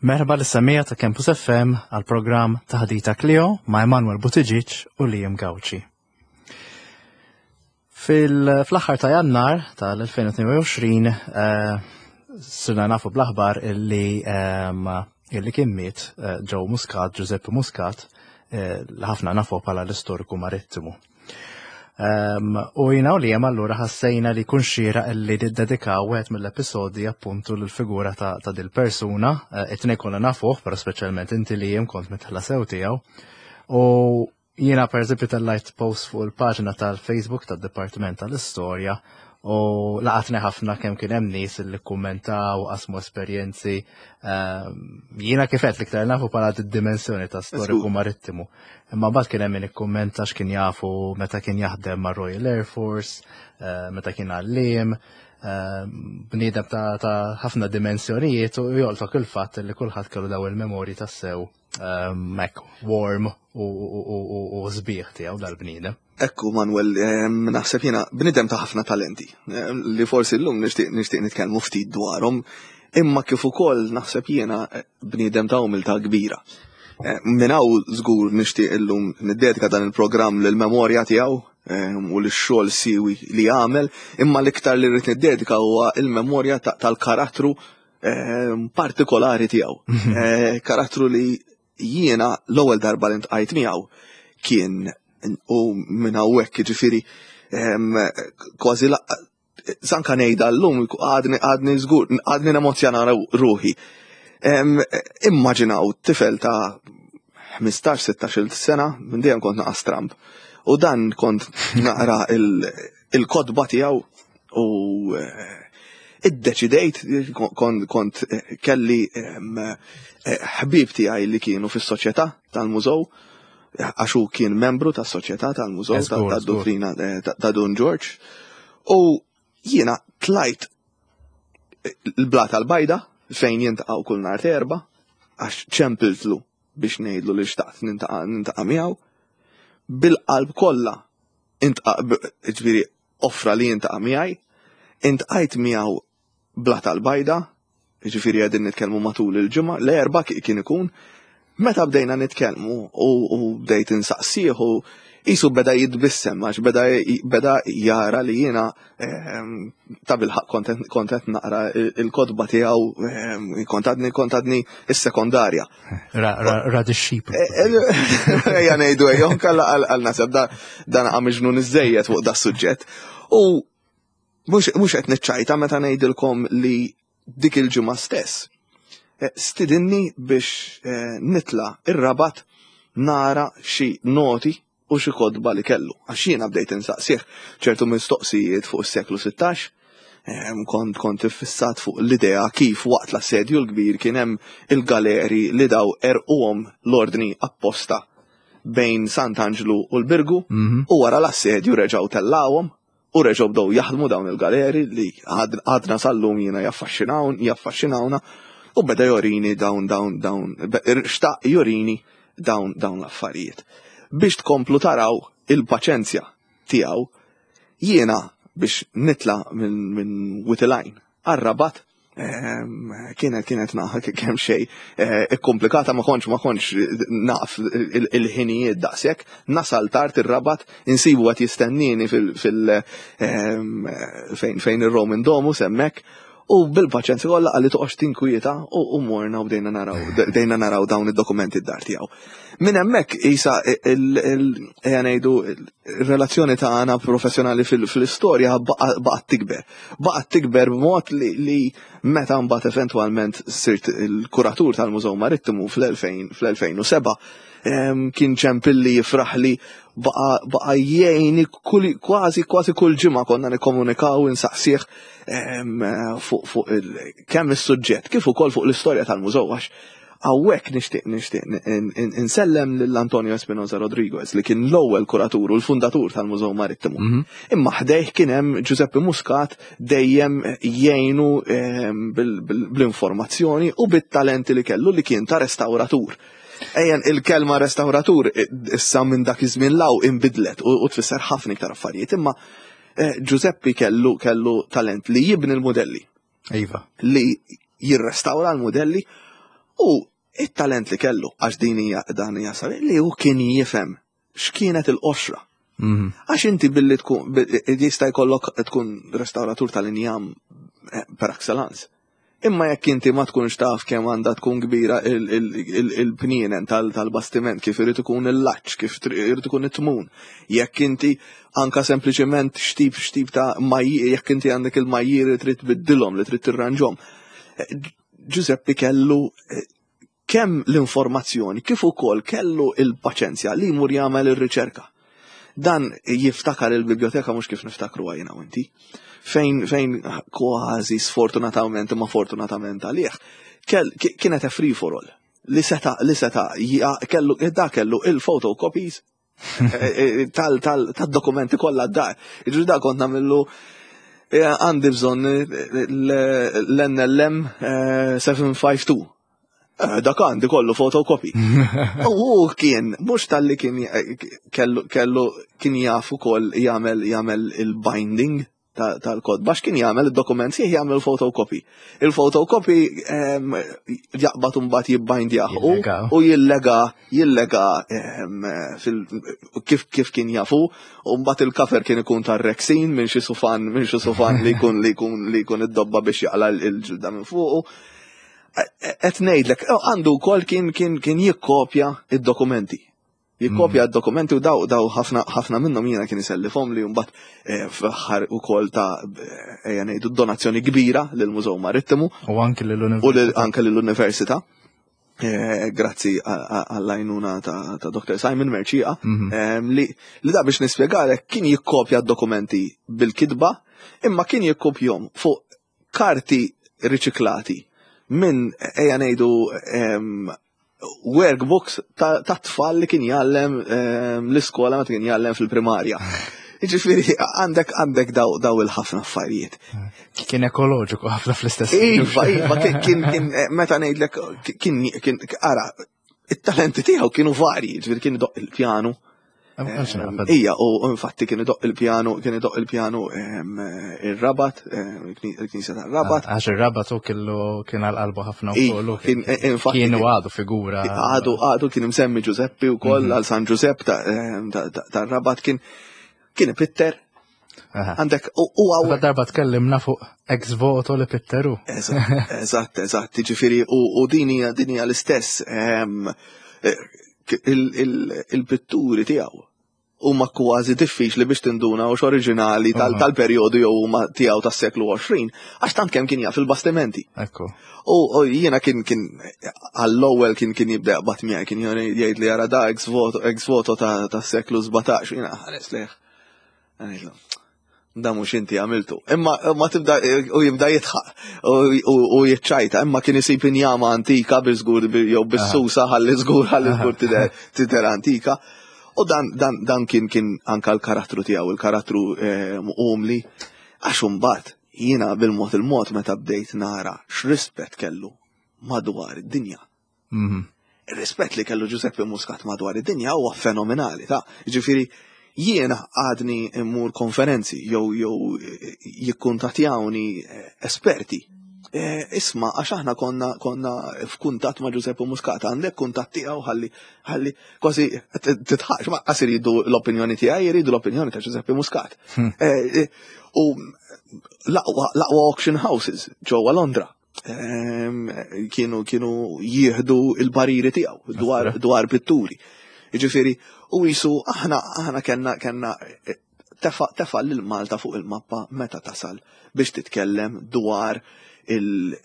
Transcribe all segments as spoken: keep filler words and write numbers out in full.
Merħba lis-semmiegħa ta' Campus F M għal programm Taħdita Klio ma' Emanuel Buttigieg u Liam Gauci. Fil-aħħar ta' Jannar tal-elfejn u tnejn u għoxrin eh, sirna nafu bl-aħbar illi ehm, illi kien miet eh, Joe Muscat, Giuseppe Muscat, eh, li ħafna nafu bħala l-istoriku marittimu. Um, u jiena u Liam allura ħassejna li kun xieraq illi niddedikaw wieħed mill-episodi appuntu l-figura ta', ta dil persuna, uh, it-tnejn konna nafuh, pero speċjalment inti, Liam, kont midħla sew tiegħu. U jiena per eżempju tellajt post fuq il-paġna tal-Facebook tad-Dipartiment tal-Istorja u laqatni ħafna kemm kien hemm nies li kummentaw, qasmu esperjenzi. Um, jiena kif qed l-iktar nafu bħala d-dimensjoni ta' storiku marittimu. Imma mbagħad kien hemm min ikkummenta x'kien jafu meta kien jaħdem ma' Royal Air Force, uh, meta kien għalliem, uh, bniedem ta' ta' ħafna dimensjonijiet u jolqtok il-fatt li kulħadd kellu daw il-memorji tassew um, hekk warm u, u, u, u, u sbieħ tiegħu dal-bniedem. Ekku, Manuel, em, naħseb jiena bniedem ta' ħafna talenti, em, li forsi llum nixtieq nixtieq nitkellmu ftit dwarhom, imma kif ukoll naħseb jiena eh, bniedem ta' umiltà kbira. Eh, Minn hawn żgur nixtieq illum niddedika dan il-programm lill-memorja tiegħu em, u lix-xogħol siwi li għamel, imma l-iktar li rrid niddedika huwa il-memorja ta- tal-karattru em, partikolari tiegħu. Eh, Karattru li jiena l-ewwel darba li ntqajt miegħu kien u minn hawnhekk ġifieri em, kważi la- sanka ngħidha llum għadni għadni żgur għadni nemozzjona ruħi. Em, Immaġinaw tifel ta' ħmistax sittax-il sena, minn dejjem kont naqra stramb. U dan kont naqra il- il-kotba tiegħu u eh, iddeċidejt kont kont eh, kelli em, eh, ħbib tiegħi li kienu fis-soċjetà tal-mużew, għax hu kien membru tas-soċjetà tal-mużew Żgur, tad-dottrina eh, ta' ta' Dun George. U jiena tlajt il-Blata l-Bajda fejn jiltaqgħu kull nhar Erbgħa għax ċempiltlu biex ngħidlu li xtaqt niltaqa' niltaqa' miegħu bil-qalb kollha iltaqa', ġifieri offra li jiltaqa' miegħi, iltqajt miegħu Blata l-Bajda, ġifieri qegħdin nitkellmu matul il-ġimgħa, l-Erbgħa ki- kien ikun, meta bdejna nitkellmu u, u bdejt insaqsih u qisu beda jitbissem għax beda, beda jara li jiena ehm, ta' bilħaqq kont kont naqra il-kotba tiegħu ehm, kont għadni kont għadni is-sekondarja. Ra, ra, ra dixxiplu. Ejja ngħidu ejja, kalla għal nasab da dan għamiġnu iżżejjed fuq da suġġett. U mhux mhux qed niċċajta meta ngħidilkom li dik il-ġimgħa stess eh, stidinni biex eh, nitla ir-Rabat nara xi noti u xi kotba li kellu. Għax jiena bdejt insaqsih ċertu mistoqsijiet fuq is-seklu sittax, em, kont kont iffissat fuq l-idea kif waqt l-assedju l-kbir kien hemm il-galeri li daw erquhom l-ordni apposta bejn Sant'Anġlu u l-Birgu Mhm. u wara l-assedju reġgħu tellawhom u reġgħu bdew jaħdmu dawn il-galeri li għad- għadna sal-lum jiena jaffaxxinawn jaffaxxinawna u beda jorini dawn dawn dawn be- xtaq jorini dawn dawn l-affarijiet. Biex tkomplu taraw il-paċenzja tiegħu, jiena biex nitla minn min Wied il-Għajn għar-Rabat em, kienet kienet naħa kemm xejn eh, ikkomplikata, ma kontx ma kontx naf il- il-ħinijiet daqshekk, nasal tard ir-Rabat, insibu qed jistennini fil fil em, fejn fejn ir-Roman Domus hemmhekk u bil-paċenzja kollha qalli toqgħodx tinkwieta u u morna u bdejna naraw bdejna naraw dawn id-dokumenti d-dar tiegħu. Minn hemmhekk isa il il- ejja ngħidu il-relazzjoni tagħna professjonali fil- fil-istorja baqa- baqgħet tikber. Baqgħet tikber b'mod li, li meta mbagħad eventwalment sirt il-kuratur tal-Mużew Marittimu fl-elfejn fl-elfejn u sebgħa, em, kien ċempilli jifraħli, baqa baqa jgħini kull kważi kważi kull ġimgħa konna nikkomunikaw, insaqsih em, fuq fuq il, kemm is-suġġett kif ukoll fuq l-istorja tal-mużew, għax hawnhekk nixtieq nixtieq insellem lil Antonio Espinosa Rodriguez li kien l-ewwel kuratur u l-fundatur tal-Mużew Marittimu. Mhm. Imma ħdejh kien hemm Giuseppe Muscat dejjem jgħinu em, bil- bil- bl-informazzjoni u bit-talenti li kellu li kien ta' restauratur. Ejjen il-kelma restauratur eh, issa minn dak iż-żmien 'l hawn inbidlet u u tfisser ħafna iktar affarijiet, imma eh, Giuseppe kellu kellu talent li jibni l-modelli, Iva. li jirrestawra l-modelli. U it-talent li kellu, għax din hija dan hija sabi, li hu kien jifhem x'kienet il-qoxra. Mhm. Għax inti billi tkun, jista' jkollok tkun restauratur tal-injam eh, per excellence. Imma jekk inti ma tkunx taf kemm għandha tkun kbira il-pnienen tal-bastiment, kif irid ikun il-laċ, kif irid ikun it-tmun. Jekk inti anka sempliċement xtip xtip ta' majjir, jekk inti għandek il-majjir li trid tbiddilhom, li trid tirranġhom. Eh, Giuseppe kellu eh, kemm l-informazzjoni, kif ukoll kellu il-paċenzja li jmur jagħmel ir-riċerka. Dan jiftakar il-biblioteka mhux kif niftakru jiena u inti. Fejn fejn kważi sfortunatament imma fortunatament għalih, kienet a free for all. Li seta li seta kellu da kellu il-photocopies eh, eh, tal tal tad-dokumenti kollha d-dar. Jiġri da kont nagħmillu eh, għandi bżonn l-N L M seba' tnejn ħamsa tnejn. Dak għandi kollu photocopy. U kien, mhux talli kien kellu kellu kien jaf ukoll jagħmel jagħmel il-binding tal-kotba, għax kien jagħmel id-dokument sieħ jagħmel photocopy. Il-photocopy jaqbad mbagħad jibbindjah u jillega jillega kif kif kien jafu, u mbagħad il-cover kien ikun tar-rexine minn xi sufan minn xi sufan li jkun li jkun li jkun id-dobba biex jaqla l-ġilda minn fuqu. Qed ngħidlek, għandu wkoll kien kien kien jikkopja id-dokumenti. Jikkopja mm. d-dokumenti u daw daw ħafna ħafna minnhom jiena kien isellifhom li mbagħad eh, fl-aħħar ukoll ta' eh, ejja ngħidu donazzjoni kbira lill-Mużew Marittimu. U anke lill-Università. U anke lill-Università. Eh, grazzi għall-għajnuna ta' Doktor Simon Mercieca, mhm. li li da biex nispjegalek kien jikkopja d-dokumenti bil-kitba, imma kien jikkopjhom fuq karti riċiklati minn, ejja ngħidu, workbooks ta' tfal li kien jgħallem l-iskola meta kien jgħallem fil-primarja. Ġifieri, għandek għandek daw, daw il-ħafna affarijiet. Kien ekoloġiku ħafna fl-istess. Iva, iva, kien, kien, meta ngħidlek, kien, kien, ara, it-talenti tiegħu kienu varji, ġifieri kien idoqq il-pjanu. Ija, u infatti kien idoqq il-pjanu, kien idoqq il-pjanu ir-Rabat, il-Knisja tar-Rabat. Għax ir-Rabat u kellu kien għal-qalbu ħafna u kollu. Kienu għadu figura. Għadu, għadu kien imsemmi Giuseppe u koll mhm. għal San Giuseppe tar-Rabat, kien kien pitter. Għandek, u għaw. Darba tkellimna fuq ex voto li pitteru. Eżatt, eżatt, ġifieri, u din hija din hija l-istess il-pitturi tiegħu huma kważi diffiċli biex tinduna u oriġinali tal-perjodu jew huma tiegħu tas-seklu għoxrin, għax tant kemm kien jaf il-bastimenti. Ekku. U jiena kien kien għall-ewwel kien kien jibda jaqbad miegħi, kien jgħid li jara da ex voto ex voto tas-seklu sbatax, jiena ħares lejh. Da mhux inti għamiltu. Imma ma tibda u jibda jidħaq u jiċċajta, imma kien isib injama antika biżgur jew bis-susa ħalli żgur ħalli żgur tidher antika. U dan, dan, dan kien kien anka l-karattru tiegħu, il-karattru eh, umli, għax imbagħad jiena bil-mod il-mod meta bdejt nara x'rispett kellu madwar id-dinja. Mhm. Ir-rispett li kellu Giuseppe Muscat madwar id-dinja huwa fenomenali, ta' ġifieri jiena għadni immur konferenzi jew jew jikkuntattjawni eh, esperti. Eh, isma, għax aħna konna konna f'kuntatt ma' Giuseppe Muscat, għandek kuntatt tiegħu ħalli ħalli kważi titħax ma qas iridu l-opinjoni tiegħi, jridu l-opinjoni ta' Giuseppe Muscat. Hmm. Eh, u l-aqwa auction houses ġewwa Londra ehm, kienu kienu jieħdu il-pariri tiegħu dwar dwar pitturi. Jiġifieri, u jisu aħna aħna kellna kellna tefa tefa lil Malta fuq il-mappa meta tasal biex titkellem dwar il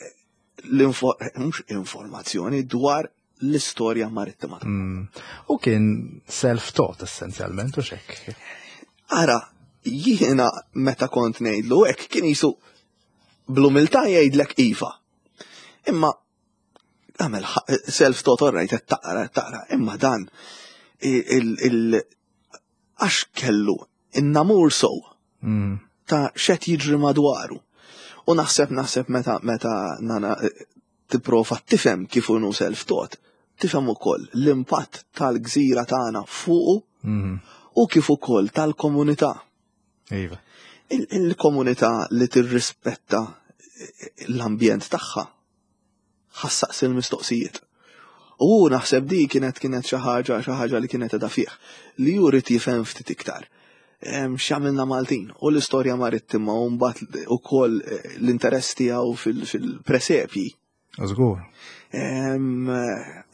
mhux informazzjoni dwar l-istorja marittima. Mm. U kien self-taught essenzjalment u xek. Ara, jiena meta kont ngħidlu hekk kien jisu bl-umiltà jgħidlek iva. Imma għamel self-taught, all right, taqra, taqra, imma dan il għax kellu in-namur sow Mm. ta' x'qed jiġri madwaru. U naħseb naħseb meta meta nana tipprova tifhem kif hu self-taught, tifhem ukoll l-impatt tal-gżira tagħna fuqu Mm. u kif ukoll tal-komunità. Iva. Il-komunità li tirrispetta l-ambjent tagħha ħa ssaqsi l-mistoqsijiet. U naħseb di kienet kienet xi ħaġa xi ħaġa li kienet qiegħda fih li hu jrid jifhem ftit iktar. Em, X'għamilna Maltin u l-istorja marittima u mbagħad ukoll eh, l-interess tiegħu fil- fil-presepji. Żgur. Em,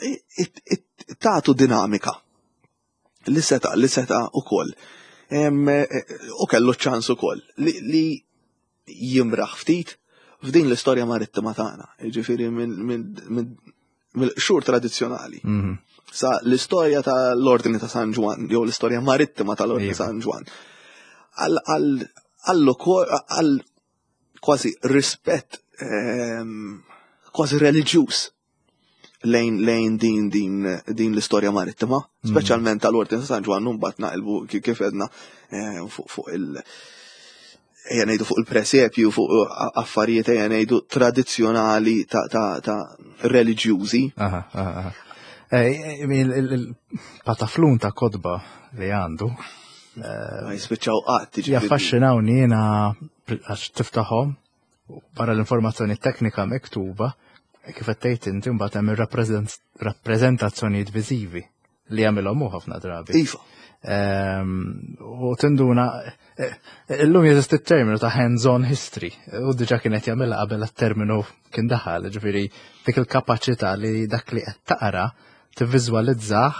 it- it- Tagħtu dinamika li seta' li seta' ukoll. Em, eh, U kellu ċans ukoll li, li jimraħ ftit f'din l-istorja marittima tagħna. Jiġifieri minn min, min, mill-xhur tradizzjonali. Mhm. Sa l-istorja tal-Ordni ta' San Ġwann, jew l-istorja marittima tal-Ordni Iva. San Ġwann. Għal għal għal għal kważi rispett ehm, kważi reliġjuż lejn lejn din din din l-istorja marittima, speċjalment tal-Ordni ta' San Ġwann u mbagħad naqilbu ki- kif għedna eh, fuq fuq il- ejja ngħidu fuq il-presepju, fuq affarijiet ejja ngħidu tradizzjonali ta' ta' ta' reliġjużi. Aha, aha, aha. Eh, Il-pataflun ta' kotba li għandu, Ma jispiċċaw qatt, jiġifieri. jaffaxxinawni jiena għax tiftaħhom barra l-informazzjoni teknika miktuba, kif qed tgħid inti mbagħad hemm ir-rappreżentazzjonijiet viżivi li jagħmilhom hu ħafna drabi. Iva. Ehm, U tinduna, eh, illum jeżisti t-terminu ta' hands-on history, u diġa kienet jagħmilha qabel it-terminu kien daħal, ġifieri dik il-kapaċità li dak li qed taqra tivviżwalizzah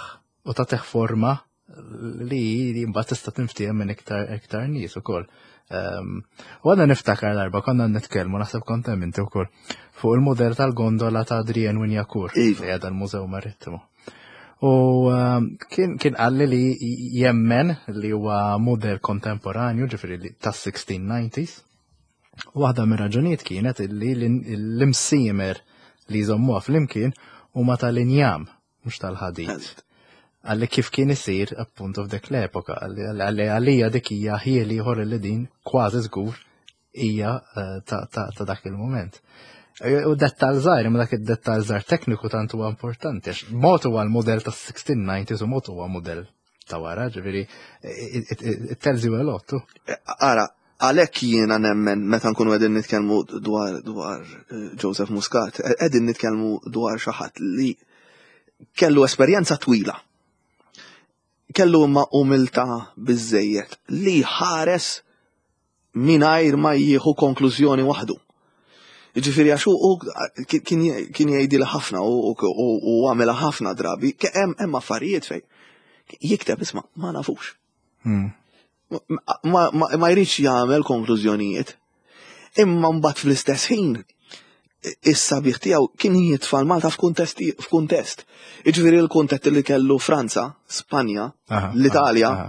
u tagħtih forma li li mbagħad tista' tinftiehem minn iktar iktar nies ukoll. Ehm, U għadna niftakar darba konna nitkellmu naħseb kont hemm inti wkoll fuq il-modell tal-gondola ta' Adrian Wignacourt Iva. li għadha l-Mużew Marittimu. U um, kien kien qalli li jemmen li huwa model kontemporanju, ġifieri li tas-sixteen nineties. Waħda mir-raġunijiet kienet illi l-imsiemer li jżommuha flimkien huma tal-injam, mhux tal-ħadid. Għalli kif kien isir appunto f'dik l-epoka, għalli għalija dik hija ħjiel ieħor li din kważi żgur hija eh, ta' ta' ta' dak il-moment. Eh, U dettal żgħir, imma dak id-dettal żgħir tekniku tant huwa importanti, għax mod huwa l-modell tas sixteen nineties u mod huwa modell ta' wara, ġifieri it- it it tells you a lot. too. Ara, għalhekk jiena nemmen meta nkunu qegħdin nitkellmu dwar dwar eh, Joseph Muscat, eh, qegħdin nitkellmu dwar xi ħadd li kellu esperjenza twila. Kellu imma umiltà biżejjed li ħares mingħajr ma jieħu konklużjoni waħdu. Ġifieri għax hu kien kien jgħidilha ħafna u u għamilha ħafna drabi, hemm hemm affarijiet fej. Jikteb isma' ma nafux. Hmm. Ma, ma, ma jridx jagħmel konklużjonijiet. Imma mbagħad fl-istess ħin is-sabiħ tiegħu kien jitfa' Malta f'kuntest f'kuntest. Jiġifieri l-kuntest li kellu Franza, Spanja, Aha, l-Italja, aha,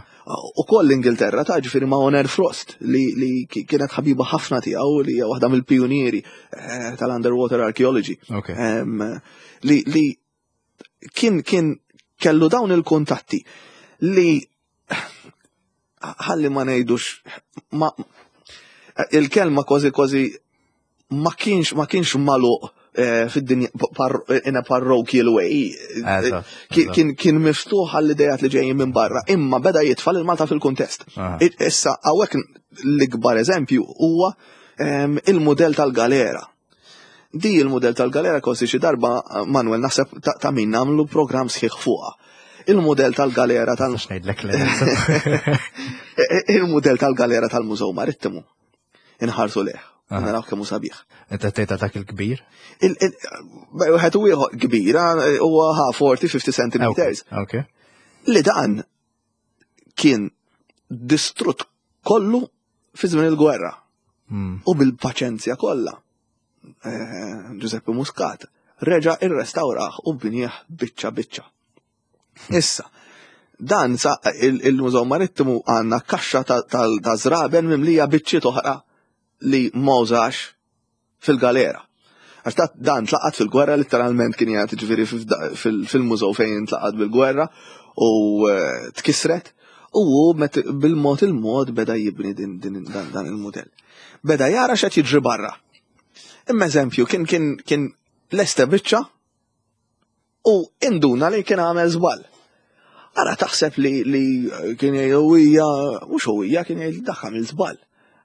u koll l-Ingilterra ta' ġifieri ma' Honor Frost li, li kienet ħabiba ħafna tiegħu li hija waħda mill-pionieri eh, tal-underwater archaeology. Ok. Em, li, li kien kien kellu dawn il-kuntatti li ħalli ma ngħidux ma il-kelma kważi kważi ma kienx ma kienx magħluq eh, fid-dinja par, in a parochial way. Eżatt, Kien- eżatt. Kien kien miftuħ għall-idejat li ġejjin minn barra, imma beda jitfa' lil Malta fil-kuntest. Aha. Issa hawnhekk l-ikbar eżempju huwa em, il-modell tal-galera. Di il-modell tal-galera kważi xi darba Manuel naħseb ta' ta' min nagħmlu programm sħiħ fuqha. Il-modell tal-galera tal Nistax ngħidlek le. il-modell tal-galera tal-Mużew Marittimu. Inħarsu leh. Aha. Naraw kemm hu sabiħ. Inti tgħid dak il-kbir? Il- il- Wieħed u ieħor kbira huwa ha forty fifty centimeters. Ok. Li dan kien distrutt kollu fi żmien il-gwerra. Hmm. U bil-paċenzja kollha. Eh, Giuseppe Muscat reġa irrestawraħ u bnieh biċċa biċċa. Issa, dan sa il- il-Mużew Marittimu għandna kaxxa ta' ta' ta' żraben mimlija biċċiet oħra li ma użax fil-galera. Għax ta' dan tlaqat fil-gwerra letteralment kien jgħid ġifieri fil- fil-mużew fejn tlaqat bil-gwerra u eh, tkisret u hu met- bil-mod il-mod beda jibni din, din, dan, dan il-modell. Beda jara x'qed jiġri barra. Imma eżempju, kien kien kien lesta biċċa u induna li kien għamel żball. Ara taħseb li, li kien jgħid huwija, mhux huwija kien jgħid dak għamel żball.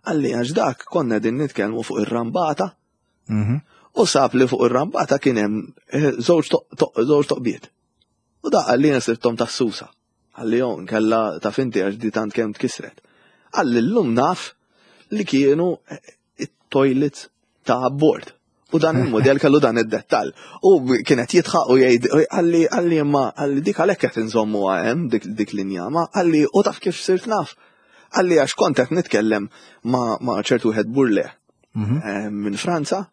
Għalli għax dak konna din nitkellmu fuq ir-rambata Mhm. U sab li fuq ir-rambata kien hemm eh, żewġ żewġ toqbiet. U da qalli sibthom tas-susa. Qalli jon kella ta' finti għax di tant kemm tkisret. Qalli llum naf li kienu eh, it-toilets ta' abbord. U dan il-modell kellu dan id-dettall. U kienet jidħaq u jgħid, qalli qalli imma qalli dik għalhekk qed inżommu hemm dik dik l-injama, qalli u taf kif sirt naf. Qalli għax kont qed nitkellem ma' ma' ċertu wieħed Burle eh, minn Franza.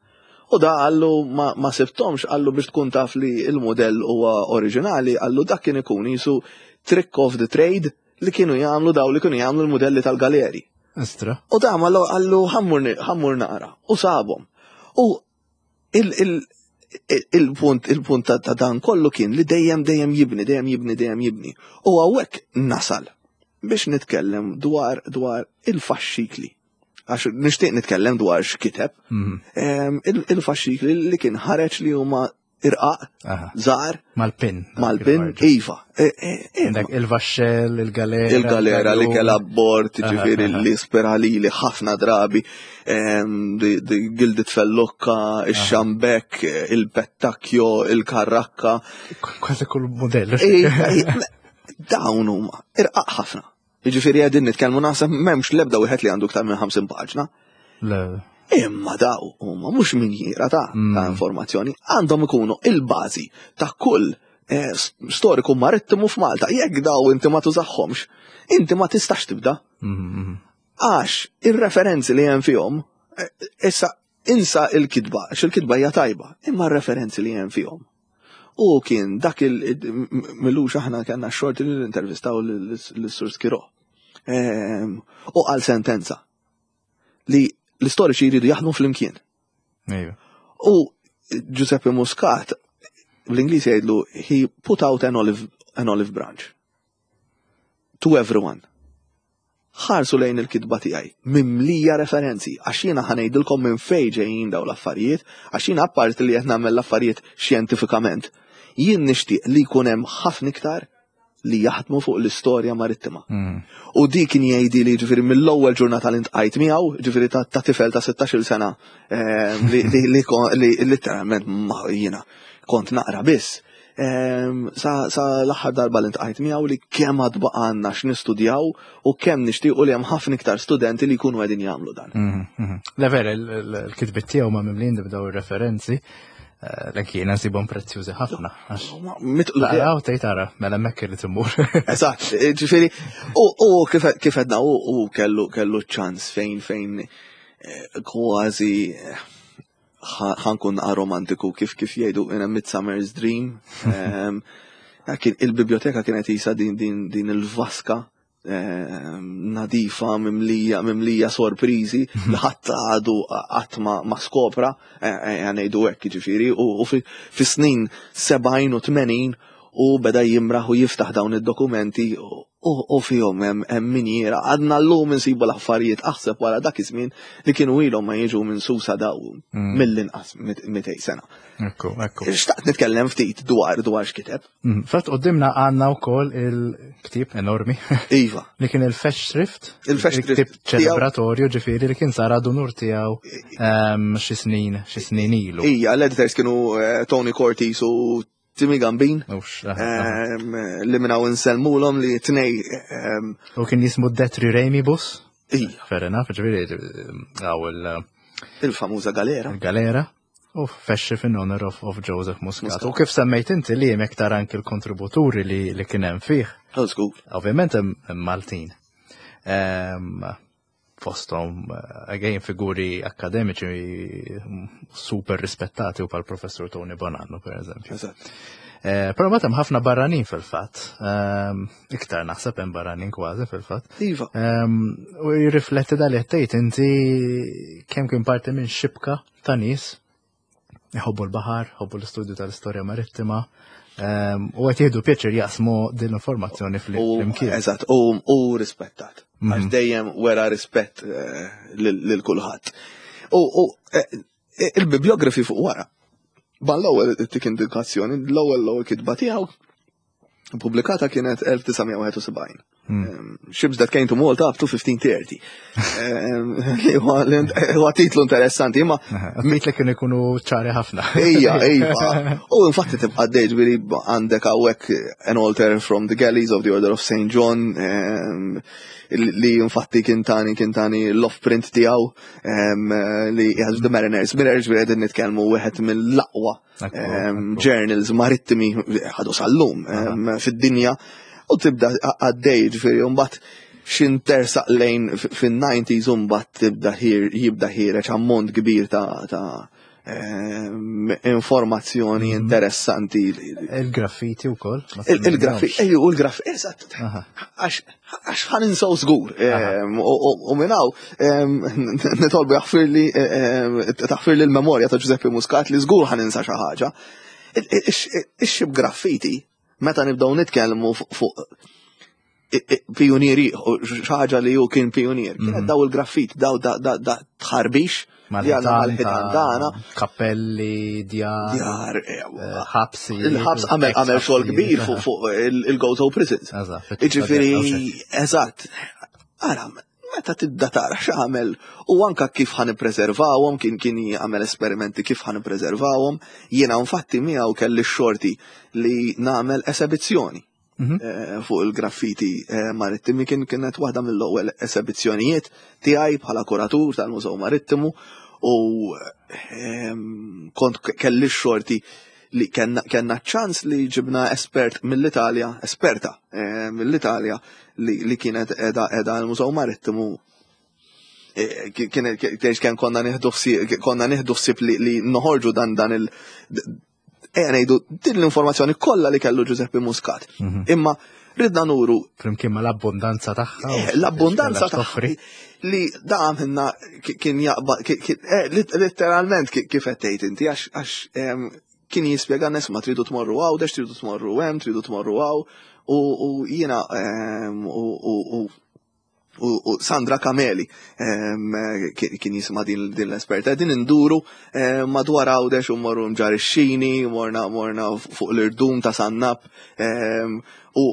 U da qallu ma, ma sibtomx, qallu biex tkun taf li il-modell huwa oriġinali, qallu dak kien ikun jisu trick of the trade li kienu jagħmlu daw li kienu jagħmlu l-modelli tal-galeri. Istra. U da ma qallu ħa mmur ħa mmur naqra u sabhom. U il-punt il-punt ta' dan kollu kien li dejjem dejjem jibni, dejjem jibni, dejjem jibni. U hawnhekk nasal biex nitkellem dwar dwar il-faxxikli. Għax nixtieq nitkellem dwar x'kiteb. Mhm. Il-faxxikli li kien ħareġ li huma irqaq, żgħar. Mal-pin. Mal-pin, iva. E, e, e, Dak il-vaxxell, il-galera. Il-galera li kella abbord, ġifieri li ispira li ħafna drabi, Gilded Fellukka, il-xambek, il-pettakjo, il-karrakka. Kważi kull modell. Dawn huma irqaq ħafna. Ġifieri qegħdin nitkellmu naħseb m'hemmx l-ebda wieħed li għandu iktar minn ħamsin paġna. Imma daw huma mhux minjiera ta' ta' mm. informazzjoni, għandhom ikunu il-bażi ta' kull eh, storiku marittimu f'Malta. Jekk daw inti ma tużahomx, inti ma tistax tibda. Mm-hmm. Għax ir-referenzi li hemm fihom, eh, issa insa il-kitba, għax il-kitba hija tajba, imma r-referenzi li hemm fihom. U kien dak il-milux aħna kellna xorti li l-intervistaw l-Sur Skiro. Ehm, u għal sentenza li l-istoriċi jridu jaħdmu fl-imkien. U Giuseppe Muscat, bl-Ingliż jgħidlu, he put out an olive, an olive branch to everyone. Ħarsu lejn il-kitba tiegħi, mimlija referenzi, għax jiena ħa ngħidilkom minn fejn ġejjin daw l-affarijiet, għax jiena apparti li qed nagħmel l-affarijiet xjentifikament. Jien nixtieq li jkun hemm ħafna iktar li jaħdmu fuq l-istorja marittima. Mm. U di kien jgħidi li ġifieri mill-ewwel ġurnata li ltqajt miegħu, ġifieri ta' tifel ta' sittax-il sena eh, li li literalment ma jiena kont naqra biss. Ehm, sa l-aħħar darba li ltqajt miegħu li kemm għad baqgħalna x'nistudjaw u kemm nixtiequ li hemm ħafna iktar studenti li jkunu qegħdin jagħmlu dan. Mhm, mhm. Le vera, il-kitbiet tiegħu ma mimlin b'daw ir-referenzi. Eh, L jiena nsibhom prezzjużi ħafna. Mitqlu. Taqra u tgħid ara, mela hemmhekk irid immur. Eżatt, ġifieri, u kif għedna u kellu kellu ċans fejn fejn eh, kważi eh, ħa nkun romantiku kif kif jgħidu in a Midsummer's Dream. Ehm, il-biblioteka kienet jisa din din din il-vaska ehm, nadifa mimlija mimlija sorprizi li ħadd għadu qatt ma skopra eh, eh, ngħidu hekk ġifieri u fi snin sebgħin u tmenin u beda jimraħ u jiftaħ dawn id-dokumenti u fihom hemm minjiera għadna llum insibu l-affarijiet aħseb wara dak iż-żmien li kienu ilhom ma jiġu minn Susa daw mm. mill-inqas mitejn sena. Ekku, ekku. Xtaqt nitkellem ftit dwar dwar x'kiteb. Mm, fatt qudiemna għandna wkoll il-ktieb enormi. Iva. Li kien il-Festschrift. Il-Festschrift. Il-ktieb ċelebratorju ġifieri li kien sar ad unur tiegħu ehm, xi snin xi snin ilu. Ija, l-editors kienu eh, Tony Cortis u Timmy Gambin, li minna u nsellmulhom li tnej. U kien jismu Detri Remibus. Ija. Fair enough, ġifieri, għaw il- Il-famuża galera. Il-galera. U Festschrift in honor of, of Joseph Muscat. U kif semmejt inti li hemm iktar anki l-kontributuri li, li kien hemm fih. Oh, żgur. Ovvjament hemm Maltin. Fosthom, again, figuri akademiċi super rispettati u bħal professor Tony Bonanno, per eżempju. Eżatt. Eh, Però ma hemm ħafna barranin fil-fatt. Ehm, Iktar naħseb hemm barranin kważi fil-fatt. Iva. Ehm, U jirrifletti dal tgħid inti kemm kien parti minn xibka ta' nies jħobbu l-baħar, jħobbu l-istudju tal-istorja marittima, ehm, u qed jieħdu pjaċir jaqsmu din l-informazzjoni U fl-imkien. eżatt, u u rispettat. Għax dejjem wera rispett eh, lil lil kulħadd. U u, eh, il-bibliografi fuq wara. Ban l-ewwel tik indikazzjoni, l-ewwel l-ewwel kitba tiegħu pubblikata kienet elf disa' mija wieħed u sebgħin. Um, Ships that came to Malta up to fifteen thirty. Um, li huwa huwa titlu interessanti, imma Għatmit li kienu jkunu ċari ħafna. Ejja, ejja. U infatti tibqa' dejġ ġifieri għandek hawnhekk an altar from the galleys of the Order of Saint John um, li infatti kien tani kien tani l-off print tiegħu um, li has the Mariners Mirror, ġifieri qegħdin nitkellmu wieħed mill-aqwa Ekku, um, ekku. journals marittimi ħadu sal-lum um, fid-dinja u tibda għaddej, ġifieri mbagħad x'intersaq lejn fin-nineties u mbagħad tibda ħir jibda ħiereġ ammont kbir ta' ta' em, informazzjoni interessanti. Il-graffiti u koll. Il-graffiti, ejju, u l-graffiti, eżatt, Aha. għax għax ħa ninsaw żgur. Em, U u- u minn hawn em, nitolbu jaħfirli em, taħfirli l-memorja ta' Giuseppe Muscat li żgur ħa ninsa xi ħaġa. Ix-ship graffiti, meta nibdew nitkellmu fuq fuq pionieri, xi ħaġa li hu kien pionier, kienet daw il-graffiti, daw da da da tħarbix li għandna mal-ħitan tagħna. Kappelli, djar, Djar, eh, ħabsi. Il-ħabs għamel għamel xogħol kbir fuq fuq il-Gozo Prisons. Eżatt. Iġifieri, eżatt. Ara, meta tibda tara x'għamel u anka kif ħa nippreservawhom, kien kien jagħmel esperimenti kif ħa nippreservawhom, jiena infatti miegħu kelli x-xorti li nagħmel esebizzjoni Mhm. eh, fuq il-graffiti eh, marittimi. Kien kienet waħda mill-ewwel esebizzjonijiet tiegħi bħala kuratur tal-Mużew Marittimu u ehm, kont kelli x-xorti li kenna, kenna ċans li ġibna espert mill-Italja, esperta eh, mill-Italja li, li kienet edha edha l-Mużew Marittimu. eh, kien kien kien konna nieħdu ħsieb konna nieħdu ħsieb li, li noħorġu dan dan il ejja ngħidu din l-informazzjoni kollha li kellu Giuseppe Muscat. Mhm. Imma ridna nuru Flimkien ma l-abbondanza tagħha. u Eh, l-abbondanza x'kellha tagħha toffri. li da għamilna ki- kien jaqba ki- ki- eh, lit- letteralment ki- kif qed tgħid inti, għax għax em, kien jispjega nies ma tridu tmorru Għawdex, tridu tmorru hemm, tridu tmorru hawn u u jiena em, u u u u, u Sandra Kameli em, kien kien jisma din, din l-esperta din induru em, madwar Għawdex u morru Mġarr ix-Xini, morna morna fuq l-irdum ta' Sannap em, u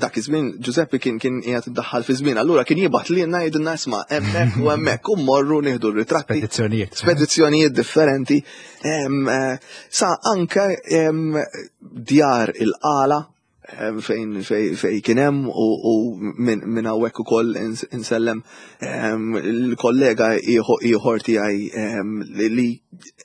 dak iż-żmien Giuseppe kien kien qiegħed iddaħħal fi żmien, allura kien jibgħat lilna jgħidilna isma' hemmhekk u hemmhekk u mmorru nieħdu r-ritratti. Spedizzjonijiet. Spedizzjonijiet differenti em, eh, sa anke em, djar il-Qala em, fejn fej, fej kien hemm u, u minn min hawnhekk ukoll ins- insellem em, il-kollega ieħor ieħor tiegħi em, li li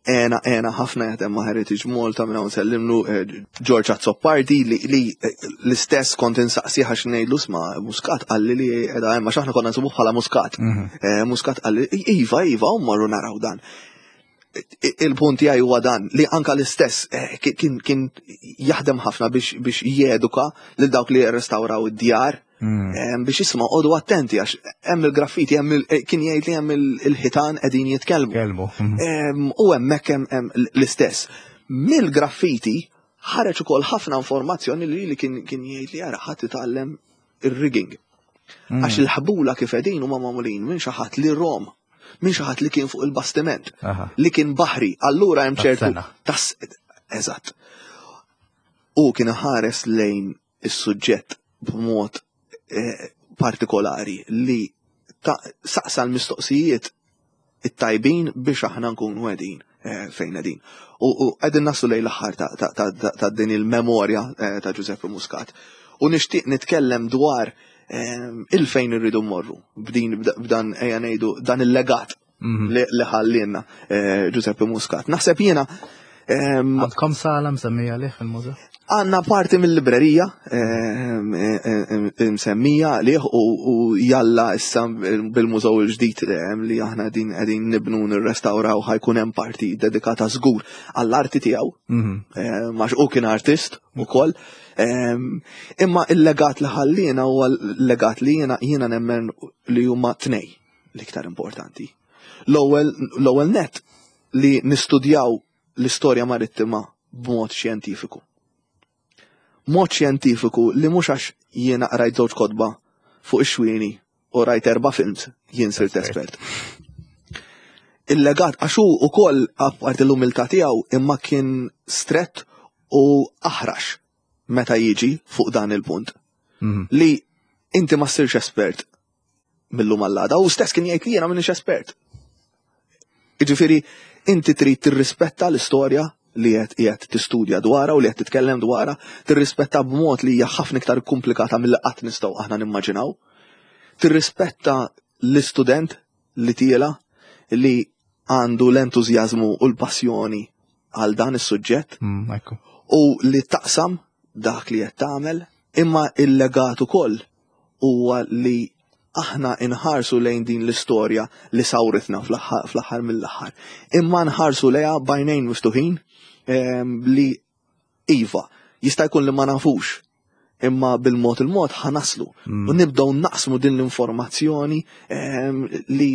għena għena ħafna jaħdem ma' Heritage Malta, minn hawn nsellimlu eh, George Azzopardi li, li eh, l-istess kont insaqsi għax ngħidlu isma' Muscat qalli li qiegħda hemm, għax aħna konna nsibuh bħala Muscat. Mhm. Eh, Muscat qalli iva iva u mmorru naraw dan. Il-punt tiegħi huwa dan li anka l-istess eh, kien kien jaħdem ħafna biex biex jeduka lil dawk li jirrestawraw id-djar Mm. eh, biex isma' għodu attenti għax hemm il-graffiti, hemm il- eh, kien jgħid li hemm il- il-ħitan qegħdin jitkellmu. Kelmu. Mhm. Em, U hemmhekk hemm hemm l-istess. Mill-graffiti ħareġ ukoll ħafna informazzjoni li li kien kien jgħid li ara ħadd titgħallem ir-rigging. Mm. Għax il-ħbula kif qegħdin huma magħmulin minn xi ħadd li rom, minn xi ħadd li kien fuq il-bastiment, Aha. li kien baħri, allura hemm ċertu Tas-sena. tas eżatt. U kien ħares lejn is-suġġett b'mod eh, partikolari li ta' saqsa l-mistoqsijiet it-tajbin biex aħna nkunu qegħdin eh, fejn qegħdin. U u qegħdin naslu lejn l-aħħar ta' ta' ta' ta' ta' din il-memorja eh, ta' Giuseppe Muscat. U nixtieq nitkellem dwar eh, il-fejn irridu mmorru b'din b'dan ejja ngħidu dan il-legat Mhm. li li ħallielna eh, Giuseppe Muscat. Naħseb jiena ehm, Għandkom sala msemmija lih fil-mużew? Għanna parti mill-librerija ehm, ehm, msemmija lih u u jalla issa bil-mużew il-ġdid ehm, li aħna din qegħdin nibnu nirrestawraw ħa jkun hemm parti dedikata żgur għall-arti tiegħu Mhm. ehm, għax u kien artist ukoll. Ehm, Imma il-legat li ħallina huwa l-legat li jiena jiena nemmen li huma tnej l-iktar importanti. L-ewwel l-ewwel net li nistudjaw l-istorja marittima b'mod xjentifiku. Mod xjentifiku li mhux għax jiena qrajt żewġ kotba fuq ix-xwieni u rajt erba' films jien sirt espert. Il-legat għax hu ukoll apparti l-umiltà tiegħu imma kien strett u aħrax meta jiġi fuq dan il-punt Mhm. li Inti ma ssirx espert mil-lum għal għada, u stess kien jgħid li jiena m'iniex espert. Jiġifieri, inti trid tirrispetta l-istorja li qed qiegħed tistudja dwarha u li qed titkellem dwarha, tirrispetta b'mod li hija ħafna iktar komplikata milli qatt nistgħu aħna nimmaġinaw. Tirrispetta l-istudent li tiela li għandu l-entużjażmu u l-passjoni għal dan is-suġġett Mm, ekku. u li taqsam dak li qed tagħmel, imma il-legat ukoll huwa li aħna inħarsu lejn din l-istorja li sawritna fl-aħħar mill-aħħar. Imma nħarsu lejha b'għajnejn miftuħin em, li iva, jista' jkun li ma nafux, imma bil-mod il-mod ħa naslu. U nibdew naqsmu din l-informazzjoni em, li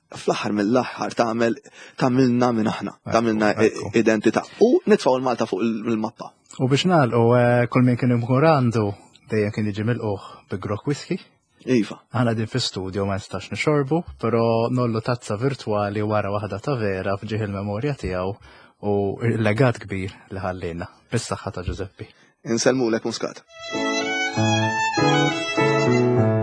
fl-aħħar mill-aħħar tagħmel tagħmilna minn aħna, tagħmilna ekku. identità. U nitfgħu l-Malta fuq il-mappa. U biex nagħlqu, eh, kull min kien imur għandu dejjem kien jiġi milqugħ bi grokk whisky. Iva. Aħna din fi studio ma nistax nixorbu, però ngħollu tazza virtuali wara waħda ta' vera f'ġieħ il-memorja tiegħu u il-legat kbir li ħallina. Bis-saħħa ta' Giuseppe. Insellmulek, Muscat. Thank